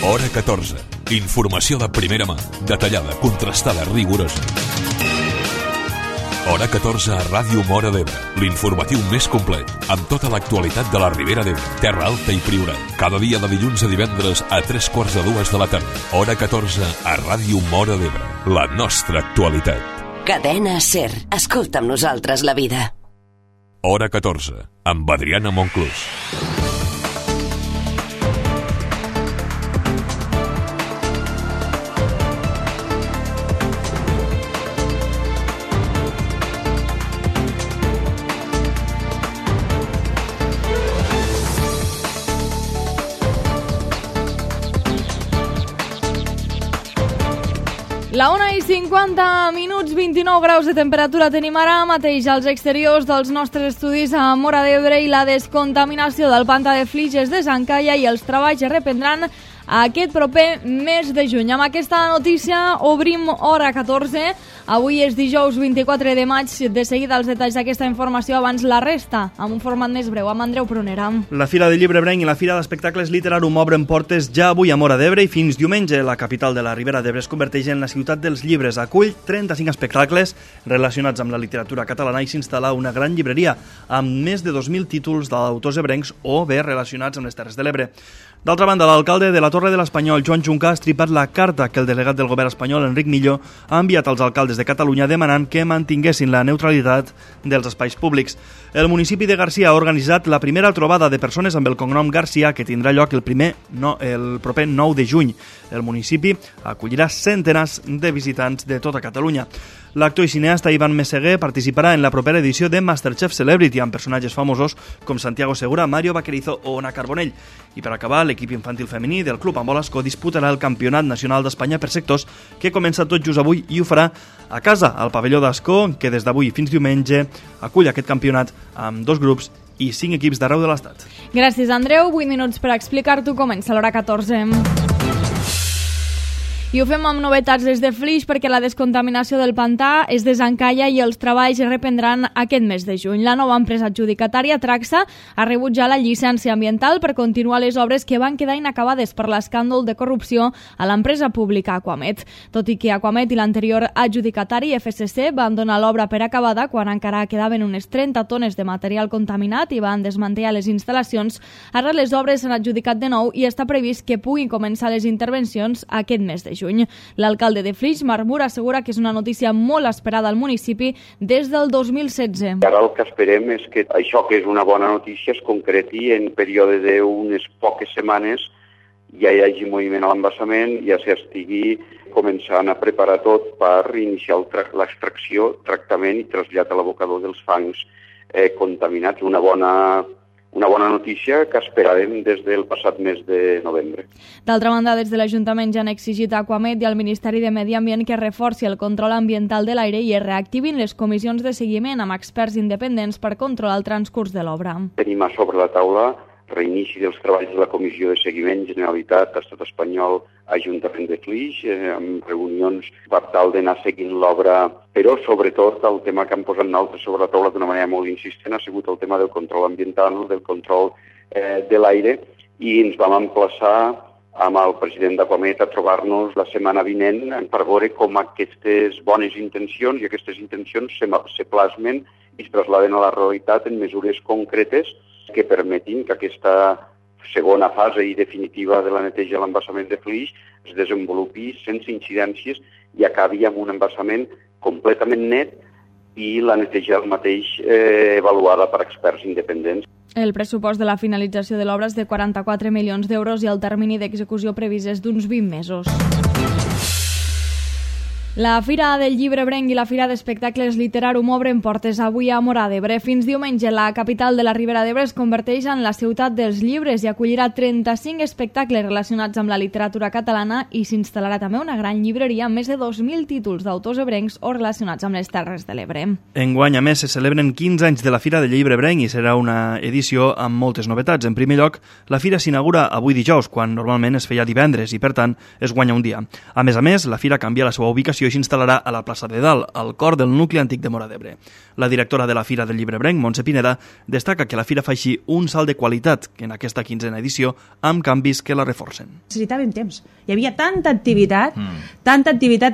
Hora 14. Informació de primera mà, detallada, contrastada, rigorosa. Hora 14 a Ràdio Móra d'Ebre, l'informatiu més complet, amb tota l'actualitat de la Ribera d'Ebre, Terra Alta i Priorat. Cada dia de dilluns a divendres a 3:45 de la tarda. Hora 14 a Ràdio Móra d'Ebre, la nostra actualitat. Cadena SER. Escolta amb nosaltres la vida. Hora 14, amb Adriana Monclús. La 1:50, 29 graus de temperatura tenim ara mateix als exteriors dels nostres estudis a Móra d'Ebre i la descontaminació del pantà de Flix es desencalla i els treballs es reprendran aquest proper mes de juny. Amb aquesta notícia obrim Hora 14. Avui és dijous 24 de maig. De seguida els detalls d'aquesta informació, abans la resta, amb un format més breu, amb Andreu Prunera. La Fira de Llibre Ebrenc i la Fira d'Espectacles Literarum obren portes ja avui a Móra d'Ebre i fins diumenge. La capital de la Ribera d'Ebre es converteix en la ciutat dels llibres. Acull 35 espectacles relacionats amb la literatura catalana i s'instal·la una gran llibreria amb més de 2.000 títols d'autors ebrencs o bé relacionats amb les Terres de l'Ebre. D'altra banda, l'alcalde de la Torre de l'Espanyol, Joan Junca, ha estripat la carta que el delegat del govern espanyol, Enric Millo, ha enviat als alcaldes de Catalunya demanant que mantinguessin la neutralitat dels espais públics. El municipi de Garcia ha organitzat la primera trobada de persones amb el cognom Garcia, que tindrà lloc el proper 9 de juny. El municipi acollirà centenars de visitants de tota Catalunya. L'actor i cineasta Ivan Meseguer participarà en la propera edició de Masterchef Celebrity amb personatges famosos com Santiago Segura, Mario Vaquerizo o Ona Carbonell. I per acabar, l'equip infantil femení del Club Ambolasco disputarà el Campionat Nacional d'Espanya per sectors, que comença tot just avui i ho farà a casa, al pavelló d'Ascó, que des d'avui fins diumenge acull aquest campionat amb 2 grups i 5 equips d'arreu de l'Estat. Gràcies, Andreu. 8 minuts per explicar-t'ho. Comença l'Hora 14. I ho fem amb novetats des de Flix perquè la descontaminació del pantà es desencalla i els treballs es reprendran aquest mes de juny. La nova empresa adjudicatària, Traxa, ha rebut ja la llicència ambiental per continuar les obres que van quedar inacabades per l'escàndol de corrupció a l'empresa pública Aquamet. Tot i que Aquamet i l'anterior adjudicatari, FSC, van donar l'obra per acabada quan encara quedaven unes 30 tones de material contaminat i van desmantellar les instal·lacions, ara les obres s'han adjudicat de nou i està previst que puguin començar les intervencions aquest mes de juny. L'alcalde de Flix, Marc Mur, assegura que és una notícia molt esperada al municipi des del 2016. Ara el que esperem és que això, que és una bona notícia, es concreti en període d'unes poques setmanes, ja hi hagi moviment a l'embassament, ja s'estigui començant a preparar tot per iniciar l'extracció, tractament i trasllat a l'abocador dels fangs contaminats. Una bona notícia que esperàvem des del passat mes de novembre. D'altra banda, des de l'Ajuntament ja han exigit a Aquamet i al Ministeri de Medi Ambient que reforci el control ambiental de l'aire i es reactivin les comissions de seguiment amb experts independents per controlar el transcurs de l'obra. Tenim a sobre la taula reinici dels treballs de la Comissió de Seguiment, Generalitat, Estat Espanyol, Ajuntament de Flix, amb reunions per tal d'anar seguint l'obra, però sobretot el tema que han posat nosaltres sobre la taula d'una manera molt insistent ha sigut el tema del control ambiental, del control de l'aire, i ens vam emplaçar amb el president d'Aquamet a trobar-nos la setmana vinent per veure com aquestes bones intencions i aquestes intencions se plasmen i es trasladen a la realitat en mesures concretes que permetin que aquesta segona fase i definitiva de la neteja de l'embassament de Flix es desenvolupi sense incidències i acabi amb un embassament completament net i la neteja del mateix avaluada per experts independents. El pressupost de la finalització de l'obra és de 44 milions d'euros i el termini d'execució previst és d'uns 20 mesos. La Fira del Llibre Ebrenc i la Fira d'Espectacles Literarum obren portes avui a Móra d'Ebre. Fins diumenge, la capital de la Ribera d'Ebre es converteix en la ciutat dels llibres i acollirà 35 espectacles relacionats amb la literatura catalana i s'instal·larà també una gran llibreria amb més de 2.000 títols d'autors ebrencs o relacionats amb les Terres de l'Ebre. Enguany, a més, se celebren 15 anys de la Fira del Llibre Ebrenc i serà una edició amb moltes novetats. En primer lloc, la Fira s'inaugura avui dijous, quan normalment es feia divendres i, per tant, es guanya un dia. A més, la Fira canvia la seva ubicació l'exposició s'instal·larà a la plaça de Dalt, al cor del nucli antic de Móra d'Ebre. La directora de la Fira del Llibrebrenc, Montse Pineda, destaca que la fira fa així un salt de qualitat en aquesta 15a edició amb canvis que la reforcen. Necessitàvem temps. Hi havia tanta activitat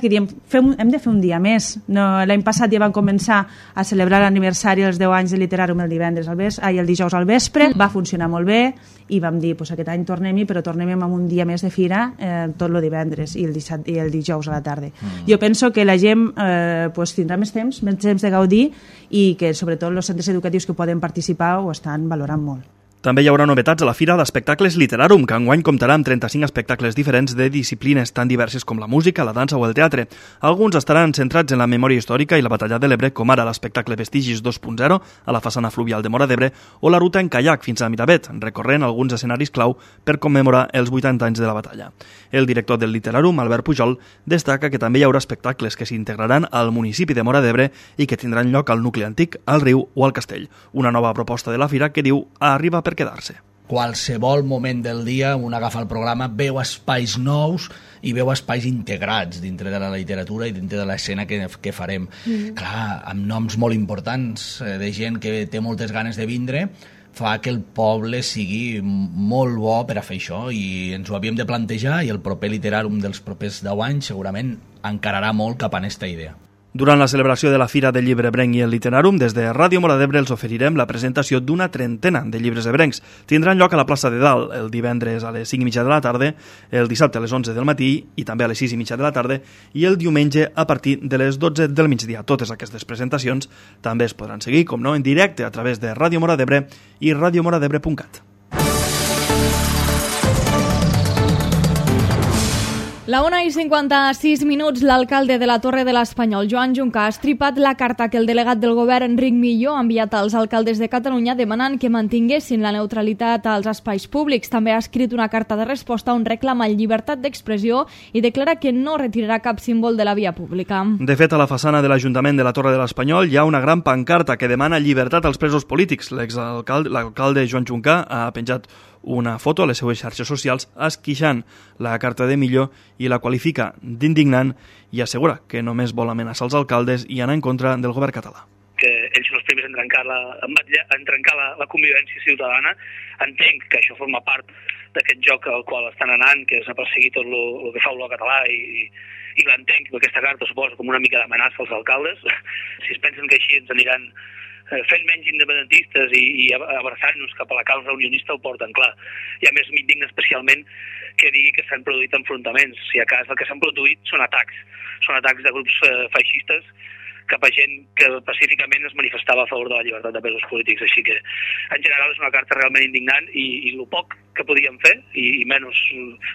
que diem, hem de fer un dia més. L'any passat ja van començar a celebrar l'aniversari dels 10 anys de Literàrum el dijous al vespre. Va funcionar molt bé i vam dir, aquest any tornem-hi, però tornem amb un dia més de fira tot el divendres i el dijous a la tarda. Jo penso que la gent tindrà més temps de gaudir i que sobretot els centres educatius que poden participar ho estan valorant molt. També hi haurà novetats a la Fira d'Espectacles Literarum, que enguany comptarà amb 35 espectacles diferents de disciplines tan diverses com la música, la dansa o el teatre. Alguns estaran centrats en la memòria històrica i la batalla de l'Ebre, com ara l'espectacle Vestigis 2.0 a la façana fluvial de Móra d'Ebre o la ruta en caiac fins a Miravet, recorrent alguns escenaris clau per commemorar els 80 anys de la batalla. El director del Literarum, Albert Pujol, destaca que també hi haurà espectacles que s'integraran al municipi de Móra d'Ebre i que tindran lloc al nucli antic, al riu o al castell. Una nova proposta de la fira que diu arriba per quedar-se. Qualsevol moment del dia un agafa el programa, veu espais nous i veu espais integrats dintre de la literatura i dintre de l'escena que farem. Clar, amb noms molt importants de gent que té moltes ganes de vindre, fa que el poble sigui molt bo per a fer això i ens ho havíem de plantejar i el proper Literàrum dels propers 10 anys segurament encararà molt cap a aquesta idea. Durant la celebració de la Fira del Llibrebrenc i el Literàrum, des de Ràdio Móra d'Ebre els oferirem la presentació d'una trentena de llibres ebrencs. Tindran lloc a la plaça de Dalt el divendres a les 5:30 de la tarda, el dissabte a les 11 del matí i també a les 6:30 de la tarda i el diumenge a partir de les 12 del migdia. Totes aquestes presentacions també es podran seguir, com no, en directe a través de Ràdio Móra d'Ebre i radiomoradebre.cat. La 1:56, l'alcalde de la Torre de l'Espanyol, Joan Junca, ha estripat la carta que el delegat del govern, Enric Millo, ha enviat als alcaldes de Catalunya demanant que mantinguessin la neutralitat als espais públics. També ha escrit una carta de resposta on reclama llibertat d'expressió i declara que no retirarà cap símbol de la via pública. De fet, a la façana de l'Ajuntament de la Torre de l'Espanyol hi ha una gran pancarta que demana llibertat als presos polítics. L'alcalde Joan Junca ha penjat una foto a les seues xarxes socials esquixant la carta de Millo i la qualifica d'indignant i assegura que només vol amenaçar els alcaldes i anar en contra del govern català. Que ells són els primers en trencar la convivència ciutadana. Entenc que això forma part d'aquest joc al qual estan anant, que és a perseguir tot el que fa el català i l'entenc, que aquesta carta suposa com una mica d'amenaça als alcaldes. Si es pensen que així ens aniran fent menys independentistes i abraçant-nos cap a la causa unionista ho porten clar. I a més m'indigna especialment que digui que s'han produït enfrontaments. Si a cas el que s'han produït són atacs de grups feixistes cap a gent que pacíficament es manifestava a favor de la llibertat de presos polítics. Així que, en general, és una carta realment indignant i el poc que podíem fer, i menys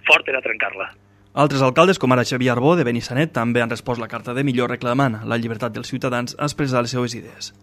fort, era trencar-la. Altres alcaldes, com ara Xavier Arbó, de Benissanet, també han respost la carta de Millo reclamant la llibertat dels ciutadans a expressar les seues idees.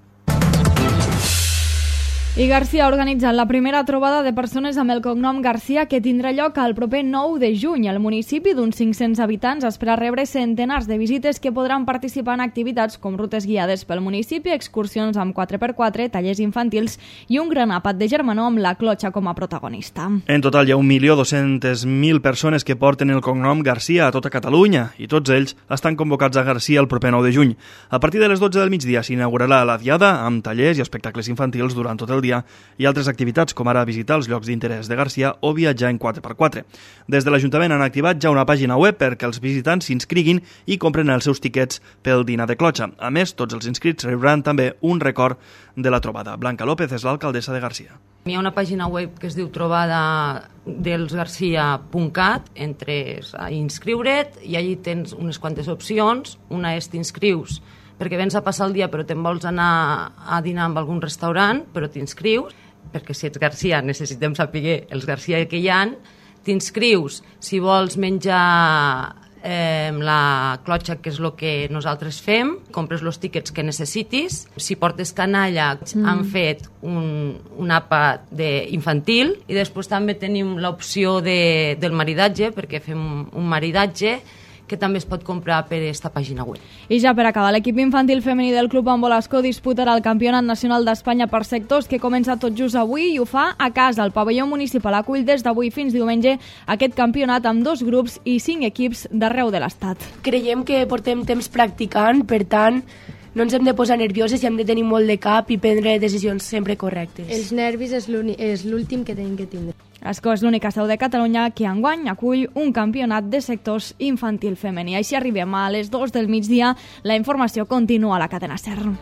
I Garcia ha organitzat la primera trobada de persones amb el cognom Garcia que tindrà lloc el proper 9 de juny. El municipi d'uns 500 habitants espera rebre centenars de visites que podran participar en activitats com rutes guiades pel municipi, excursions amb 4x4, tallers infantils i un gran àpat de germanor amb la clotxa com a protagonista. En total hi ha 1.200.000 persones que porten el cognom Garcia a tota Catalunya i tots ells estan convocats a Garcia el proper 9 de juny. A partir de les 12 del migdia s'inaugurarà la diada amb tallers i espectacles infantils durant tot el dia i altres activitats com ara visitar els llocs d'interès de Garcia o viatjar en 4x4. Des de l'Ajuntament han activat ja una pàgina web perquè els visitants s'inscriguin i compren els seus tiquets pel dinar de clotxa. A més, tots els inscrits rebran també un record de la trobada. Blanca López és l'alcaldessa de Garcia. Hi ha una pàgina web que es diu trobadadelsgarcia.cat, entres a inscriure't i allí tens unes quantes opcions. Una és t'inscrius perquè vens a passar el dia però te'n vols anar a dinar amb algun restaurant, però t'inscrius, perquè si ets Garcia necessitem saber els Garcia que hi ha, t'inscrius si vols menjar la clotxa, que és el que nosaltres fem, compres els tíquets que necessitis. Si portes canalla, han fet un àpat infantil i després també tenim l'opció del maridatge, perquè fem un maridatge que també es pot comprar per esta pàgina web. I ja per acabar, l'equip infantil femení del Club Ambolasco disputarà el Campionat Nacional d'Espanya per sectors, que comença tot just avui i ho fa a casa. El pavelló municipal acull des d'avui fins diumenge aquest campionat amb 2 grups i 5 equips d'arreu de l'Estat. Creiem que portem temps practicant, per tant, no ens hem de posar nervioses i hem de tenir molt de cap i prendre decisions sempre correctes. Els nervis és l'últim que tenim que tindre. Ascó és l'única seu de Catalunya que enguany acull un campionat de sectors infantil femení. Així arribem a les 2 del migdia. La informació continua a la cadena SER.